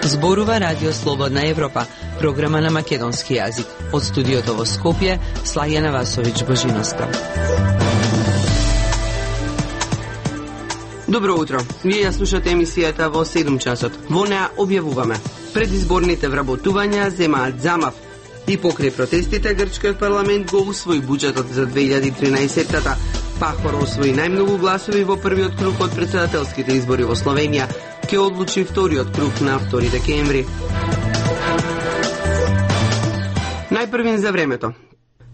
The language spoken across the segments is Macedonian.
Зборува Радио Слободна Европа, програма на македонски јазик. Од студиото во Скопје, Слајана Васович Божиноска. Добро утро. Вие ја слушате емисијата во 7 часот. Во неа објавуваме: предизборните вработувања земаат замав. И покрај протестите, грчкиот парламент го усвои буџетот за 2013-та. Пахор освои најмногу гласови во првиот круг од претседателските избори во Словенија. Ке одлучи вториот круг на 2 декември. Најпрвин за времето.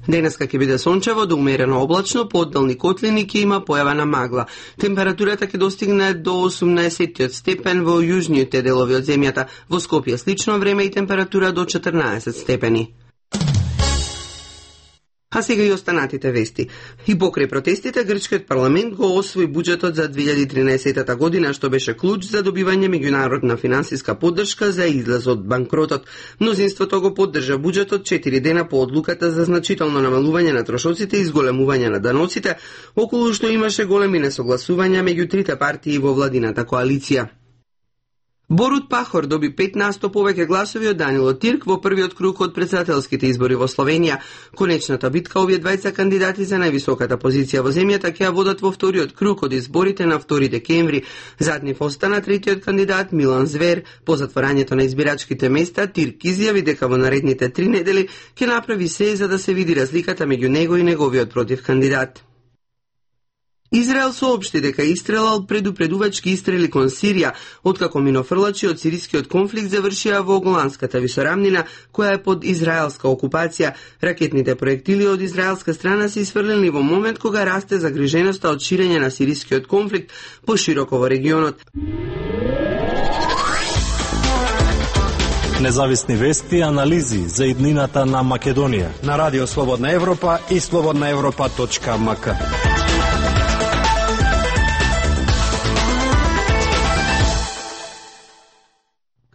Денеска ќе биде сончево до умерено облачно, по одделни котлини ќе има појава на магла. Температурата ќе достигне до 18 степен во јужните делови од земјата. Во Скопје слично време и температура до 14 степени. А сега и останатите вести. И покрај протестите, грчкиот парламент го освои буџетот за 2013 година, што беше клуч за добивање меѓународна финансиска поддршка за излез од банкротот. Мнозинството го поддржа буџетот 4 дена по одлуката за значително намалување на трошоците и зголемување на даноците, околу што имаше големи несогласувања меѓу трите партии во владината коалиција. Борут Пахор доби 15% повеќе гласови од Данило Тирк во првиот круг од претседателските избори во Словенија. Конечната битка овие двајца кандидати за највисоката позиција во земјата ќе ја водат во вториот круг од изборите на 2 декември. Зад нив остана третиот кандидат Милан Звер. По затворањето на избирачките места, Тирк изјави дека во наредните 3 недели ќе направи се за да се види разликата меѓу него и неговиот против кандидат. Израел соопшти дека истрелал предупредувачки истрели кон Сирија, откако минофрлачи од сирискиот конфликт завршија во Голанската висорамнина, која е под израелска окупација. Ракетните проектили од израелска страна се isfрлени во момент кога расте загриженоста од ширење на сирискиот конфликт пошироко во регионот. Независни вести и анализи за иднината на Македонија на Радио Слободна Европа и slobodnaevropa.mk.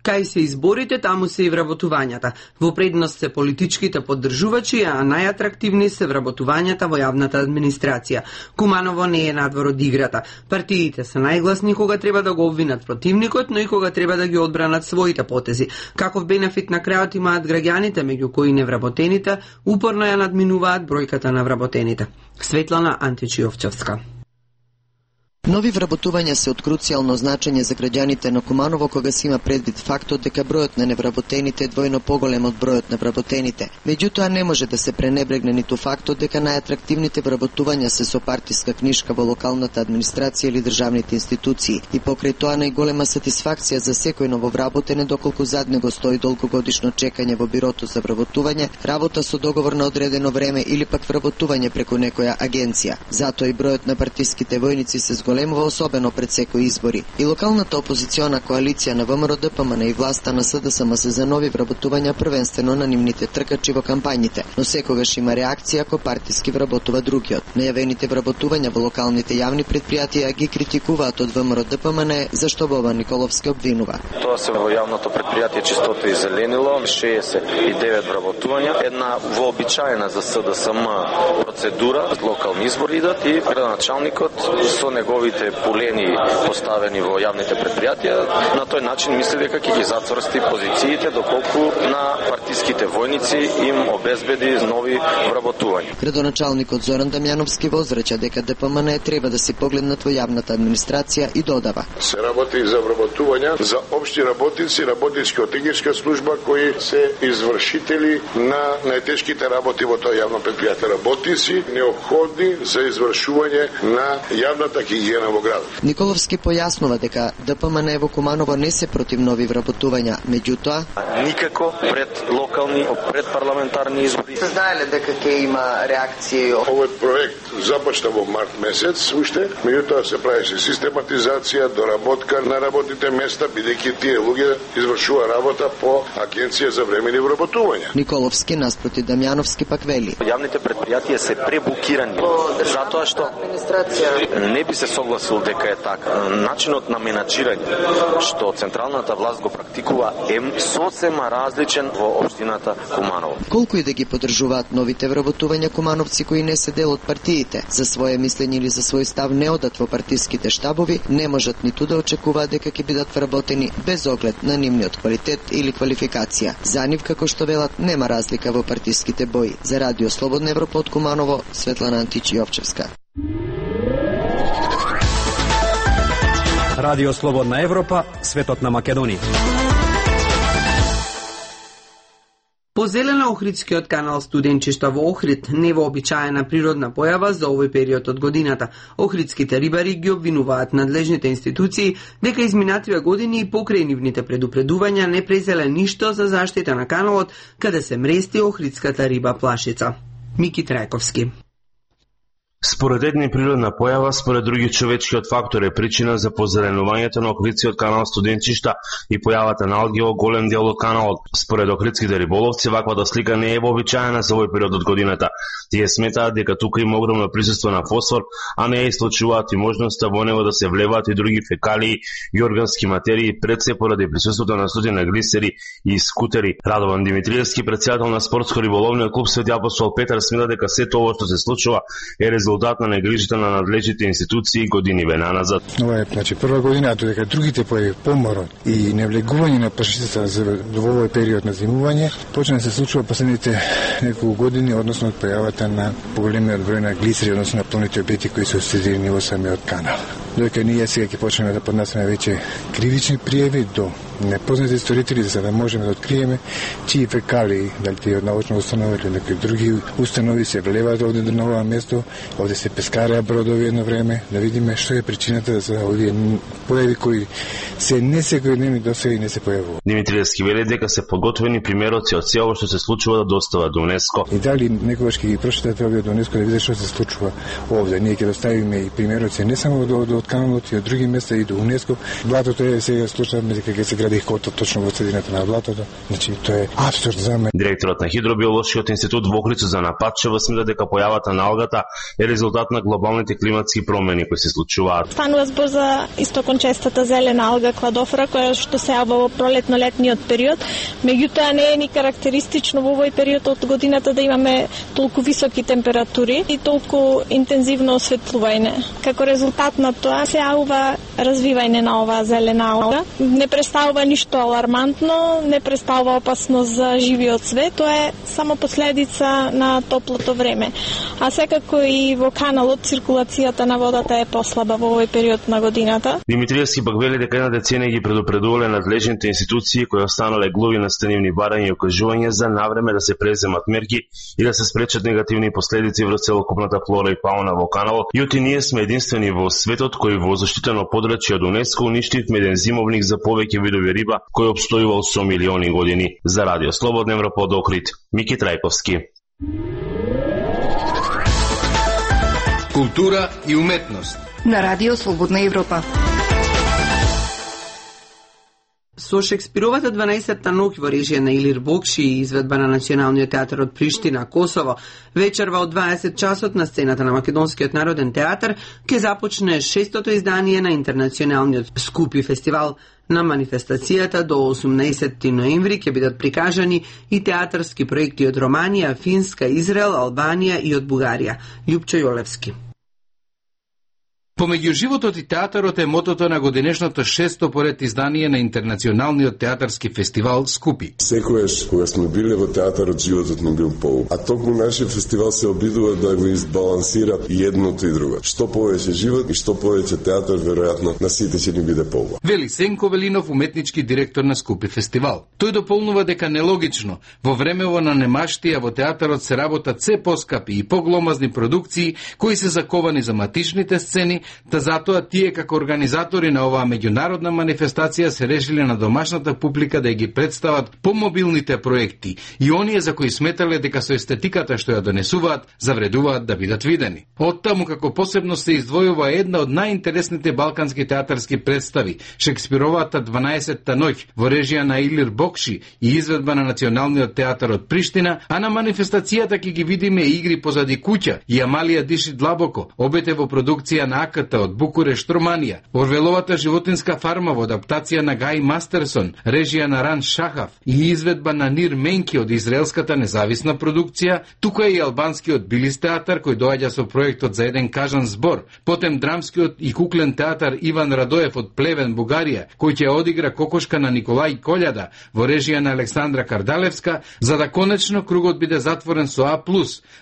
Кај се изборите, таму се и вработувањата. Во предност се политичките поддржувачи, а најатрактивни се вработувањата во јавната администрација. Куманово не е надвор од играта. Партиите се најгласни кога треба да го обвинат противникот, но и кога треба да ги одбранат своите потези. Каков бенефит на крајот имаат граѓаните, меѓу кои невработените, упорно ја надминуваат бројката на вработените. Светлана Античиовчевска. Нови вработувања се од круцијално значење за граѓаните на Куманово кога се има предвид фактот дека бројот на невработените е двојно поголем од бројот на вработените. Меѓутоа не може да се пренебрегне ниту фактот дека најатрактивните вработувања се со партиска книшка во локалната администрација или државните институции. И покрај тоа најголема сатисфакција за секој нововработен е доколку зад него стои долгогодишно чекање во бирото за вработување, работа со договор на одредено време или пак вработување преку некоја агенција. Затоа и бројот на партиските војници се зголемува особено пред секои избори. И локалната опозициона коалиција на ВМРО ДПМН и власта на СДСМ се за нови вработувања првенствено на нивните тркачи во кампањите, но секогаш има реакција ако партиски вработува другиот. Најавените вработувања во локалните јавни предпријатија ги критикуваат од ВМРО ДПМН, зашто Бобан Николовски обвинува. Тоа се во јавното предпријатие Чистота и зеленило, 69 вработувања, една вообичаена за СДСМ процедура, локални избори идат и градоначалникот со неговите полени поставени во јавните предпријатија, на тој начин мисли дека ќе ги зацврсти позициите доколку на партиските војници им обезбеди нови вработувања. Градоначалникот Зоран Дамјановски возрача дека ДПМН треба да се погледнат во јавната администрација и додава: се работи за вработувања за општи работници, работничка техничка служба кои се извршители на најтешките работи во тоа јавно предпријатие, работници неопходни за извршување на јавната хигиена во градот. Николовски појаснува дека ДПМН во Куманово не се против нови вработувања, меѓутоа никако пред локални, пред парламентарни избори. Се знаеле дека ќе има реакција. Овој проект започна во март месец, уште, меѓутоа се правеше систематизација, доработка на работните места, бидејќи тие луѓе извршува работа по агенција за времени вработувања. Николовски наспроти Дамјановски пак вели: Јавните предпријатија се пребукирани, затоа што не би се согласил дека е така. Начинот на менаџирање што централната власт го практикува е сосема различен во општината Куманово. Колку и да ги поддржуваат новите вработувања кумановци кои не се дел од партиите, за свое мислење или за свој став не одат во партиските штабови, не можат ниту да очекуваат дека ќе бидат вработени без оглед на нивниот квалитет или квалификација. За нив, како што велат, нема разлика во партиските бои. За Радио Слободна Европа од Куманово, Светлана Античи-Овчевска. Радио Слободна Европа, светот на Македонија. По Зелено-Охридскиот канал Студенчишта во Охрид, невообичаена природна појава за овој период од годината. Охридските рибари ги обвинуваат надлежните институции дека изминативе години и покрај нивните предупредувања не презеле ништо за заштита на каналот каде се мрести охридската риба плашица. Мики Трајковски. Според едни природна појава, според други човечкиот фактор е причина за позеленувањето на Охридскиот канал Студенчишта и појавата на алги во голем дел од каналот. Според охридските риболовци, ваквата слика не е вообичаена за овој период од годината. Тие сметаат дека тука има огромно присуство на фосфор, а не исклучуваат и можноста во него да се влеваат и други фекалии и органски материи, пред се поради присуството на стотина глисери и скутери. Радован Димитриевски, председател на спортско-риболовниот клуб Свети апостол Петар, смета дека сето ова што се случува е резултат на негрижата на надлежните институции години вена назад. Ова е прва година, дека другите појави поморот и невлегување на прашицата во овој период на зимување почна да се случува последните неколку години, односно од појавата на поголемиот број на глисери, односно на плавните објекти кои се осредени во самиот канал. Додека ние сега ќе почнеме да поднасеме веќе кривични пријави до непознати сторители, за да можеме да откриеме чии фекалии, дали тие од научна установа или некои други установи се влеваат овде на ова место, овде се пескареа бродови едно време, да видиме што е причината за овие појави кои се не секојдневни досега и не се појавуваат. Димитриевски вели дека се подготвени примероци од се ова што се случува да достават до УНЕСКО. И дали некогаш ќе ги прочитате овие до УНЕСКО да видите што се случува овде. Ние ќе доставиме и примероци не само од каналот и од други места и до УНЕСКО. Блатото е сега случајот дека ќе се гради хотел точно во средината на блатото. Значи тоа е апсурд за мене. Директорот на Хидробиолошкиот институт во Охрид за Нападчево смета дека појавата на алгата е резултат на глобалните климатски промени кои се случуваат. Станува збор за истокончестата зелена алга кладофора која што се јавува во пролетно-летниот период, меѓутоа не е ни карактеристично во овој период од годината да имаме толку високи температури и толку интензивно осветлување. Како резултат на тоа се јавува развивање на оваа зелена алга. Не представува ништо алармантно, не представува опасност за живиот свет, тоа е само последица на топлото време. А секако и во каналот циркулацијата на водата е послаба во овој период на годината. Димитриевски пак вели дека една деценија ги предупредувале надлежните институции кои останале глуви на стенивни барања и окажувања за навреме да се преземат мерки и да се спречат негативни последици врз целокупната флора и фауна во каналот. Јути ние сме единствени во светот кој во заштитено подрачје од УНЕСКО уништивме еден зимовник за повеќе видови риба кој обстојувал со милиони години. За Радио Слободна Европа од Охрид, Мики Трајковски. Култура и уметност на Радио Слободна Европа. Со Шекспировата 12-та ноќ во режија на Илир Бокши и изведба на Националниот театар од Приштина, Косово, вечерва од 20 часот на сцената на Македонскиот народен театар ќе започне 6-то издание на Интернационалниот Скупи фестивал. На манифестацијата до 18 ноември ќе бидат прикажани и театарски проекти од Романија, Финска, Израел, Албанија и од Бугарија. Љупчо Јолевски. Помеѓу животот и театарот е мотото на годинешното 6-то поред издание на Интернационалниот театарски фестивал Скупи. Секојаш кога сме биле во театарот, животот не бил поубав. А токму нашиот фестивал се обидува да го избалансира и едното и друго. Што повеќе живот и што повеќе театар, веројатно на сите ќе ни биде поубав. Вели Сенко Велинов, уметнички директор на Скупи фестивал. Тој дополнува дека нелогично во времево на немаштија во театарот се работат се поскапи и погломазни продукции кои се заковани за матичните сцени, та затоа тие како организатори на оваа меѓународна манифестација се решиле на домашната публика да ги представат помобилните проекти и оние за кои сметале дека со естетиката што ја донесуваат завредуваат да бидат видени. Оттаму како посебно се издвојува една од најинтересните балкански театарски представи, Шекспировата 12-та ноќ во режија на Илир Бокши и изведба на Националниот театар од Приштина, а на манифестацијата ќе ги видиме игри позади куќа и Амалија диши длабоко, обете во продукција на поставката од Букурешт, Романија, Орвеловата животинска фарма во адаптација на Гај Мастерсон, режија на Ран Шахав и изведба на Нир Менки од израелската независна продукција, тука е и албанскиот Билис театар кој доаѓа со проектот за еден кажан збор, потем драмскиот и куклен театар Иван Радоев од Плевен, Бугарија, кој ќе одигра Кокошка на Николај Колјада во режија на Александра Кардалевска, за да конечно кругот биде затворен со А+,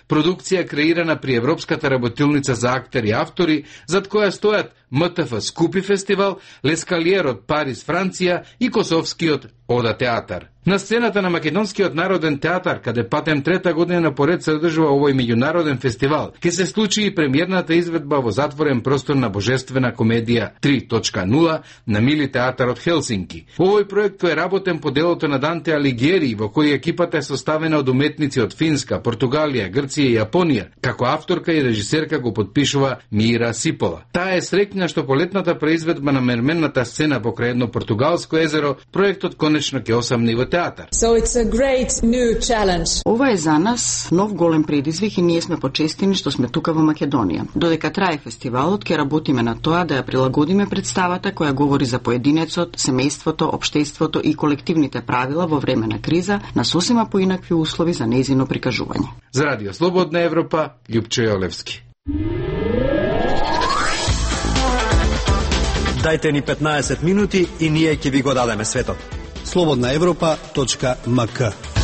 продукција креирана при Европската работилница за актери и автори, зад која стојат МТФ Скупи фестивал, Лескалиер од Париз, Франција и Косовскиот Ода театар. На сцената на Македонскиот народен театар, каде патем трета година поред се одржува овој меѓународен фестивал, ќе се случи и премиерната изведба во затворен простор на Божествена комедија 3.0 на Мили театар од Хелсинки. Овој проект е работен по делото на Данте Алигиери, во кој екипата е составена од уметници од Финска, Португалија, Грција и Јапонија, како авторка и режисерка го подпишува Мира Сипола. Таа е среќна што по летната преизведба на мерменната сцена покрај едно португалско езеро, проектот конечно ќе осамни во театар. So it's a great new challenge. Ова е за нас нов голем предизвик и ние сме почестени што сме тука во Македонија. Додека трае фестивалот, ќе работиме на тоа да ја прилагодиме представата која говори за поединецот, семејството, општеството и колективните правила во време на криза на сосема поинакви услови за нејзино прикажување. За Радио Слободна Европа, Љупчо Јолевски. Дајте ни 15 минути и ние ќе ви го дадеме светот. slobodnaevropa.mk.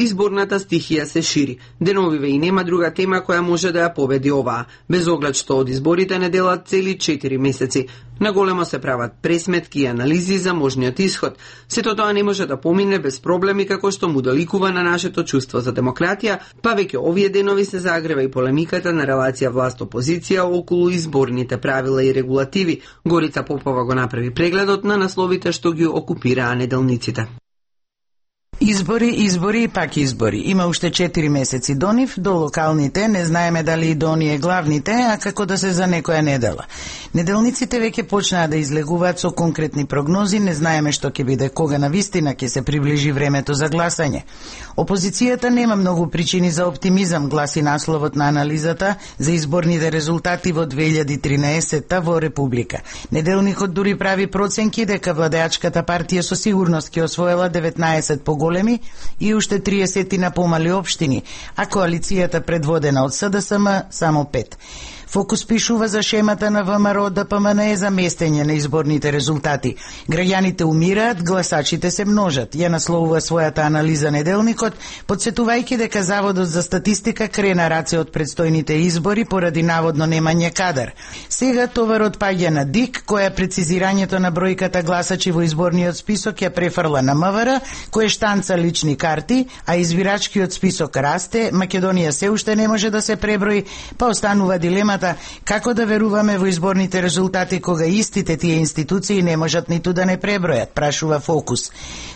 Изборната стихија се шири. Деновиве и нема друга тема која може да ја победи оваа, без оглед што од изборите не делат цели 4 месеци. Наголемо се прават пресметки и анализи за можниот исход. Сето тоа не може да помине без проблеми како што му доликува на нашето чувство за демократија, па веќе овие денови се загрева и полемиката на релација власт-опозиција околу изборните правила и регулативи. Горица Попова го направи прегледот на насловите што ги окупираа неделниците. Избори, избори и пак избори. Има уште 4 месеци до нив, до локалните, не знаеме дали и до оние главните, а како да се за некоја недела. Неделниците веќе почнаа да излегуваат со конкретни прогнози, не знаеме што ќе биде, кога навистина ќе се приближи времето за гласање. Опозицијата нема многу причини за оптимизам, гласи насловот на анализата за изборните резултати во 2013 во Република. Неделникот дури прави проценки дека владеачката партија со сигурност ќе освоела 19 поголеми и уште 30 на помали општини, а коалицијата предводена од СДСМ само 5. Фокус пишува за шемата на ВМРО ДПМН за местење на изборните резултати. Граѓаните умираат, гласачите се множат. Ја насловува својата анализа неделникот, подсетувајќи дека Заводот за статистика крена раце од предстојните избори поради наводно немање кадар. Сега товарот паѓа на ДИК, која прецизирањето на бројката гласачи во изборниот список ја префрла на МВР, кој штанца лични карти, а избирачкиот список расте, Македонија се уште не може да се преброи, па останува дилемата како да веруваме во изборните резултати кога истите тие институции не можат ниту да не пребројат, прашува Фокус.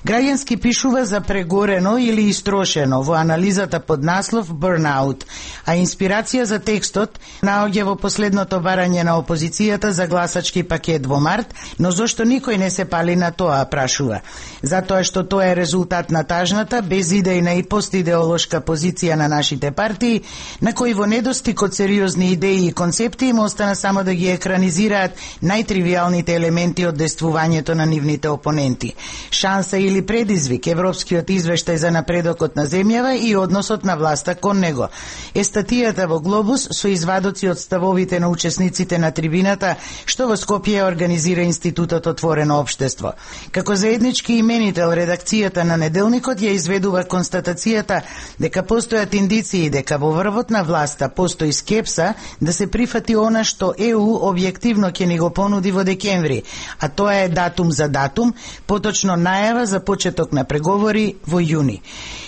Граѓански пишува за прегорено или истрошено во анализата под наслов Burnout, а инспирација за текстот наоѓа во последното барање на опозицијата за гласачки пакет во март, но зошто никој не се пали на тоа, прашува. Затоа што тоа е резултат на тажната, безидејна и постидеолошка позиција на нашите партии, на кои во недостиг од сериозни идеи и концепти им остана само да ги екранизираат најтривијалните елементи од действувањето на нивните опоненти. Шанса или предизвик, европскиот извештај за напредокот на земјава и односот на власта кон него. Е статијата во Глобус со извадоци од ставовите на учесниците на трибината, што во Скопје организира Институтот Отворено општество. Како заеднички именител, редакцијата на неделникот ја изведува констатацијата дека постојат индиции дека во врвот на власта постои скепса да се прифати она што ЕУ објективно ќе ни го понуди во декември, а тоа е датум за датум, поточно најава за почеток на преговори во јуни.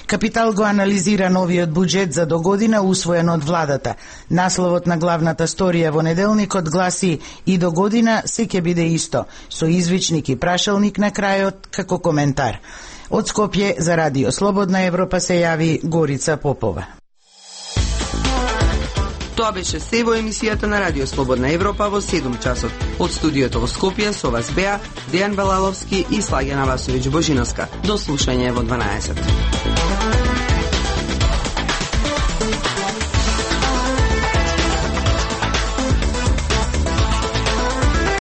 Капитал го анализира новиот буџет за до година усвоен од владата. Насловот на главната сторија во неделникот гласи и до година се ќе биде исто, со извичник и прашалник на крајот како коментар. Од Скопје за Радио Слободна Европа се јави Горица Попова. Тоа беше се во емисијата на Радио Слободна Европа во 7 часот. Од студиото во Скопје со вас беа Дејан Балаловски и Слагена Васовиќ Божиновска. До слушање во 12.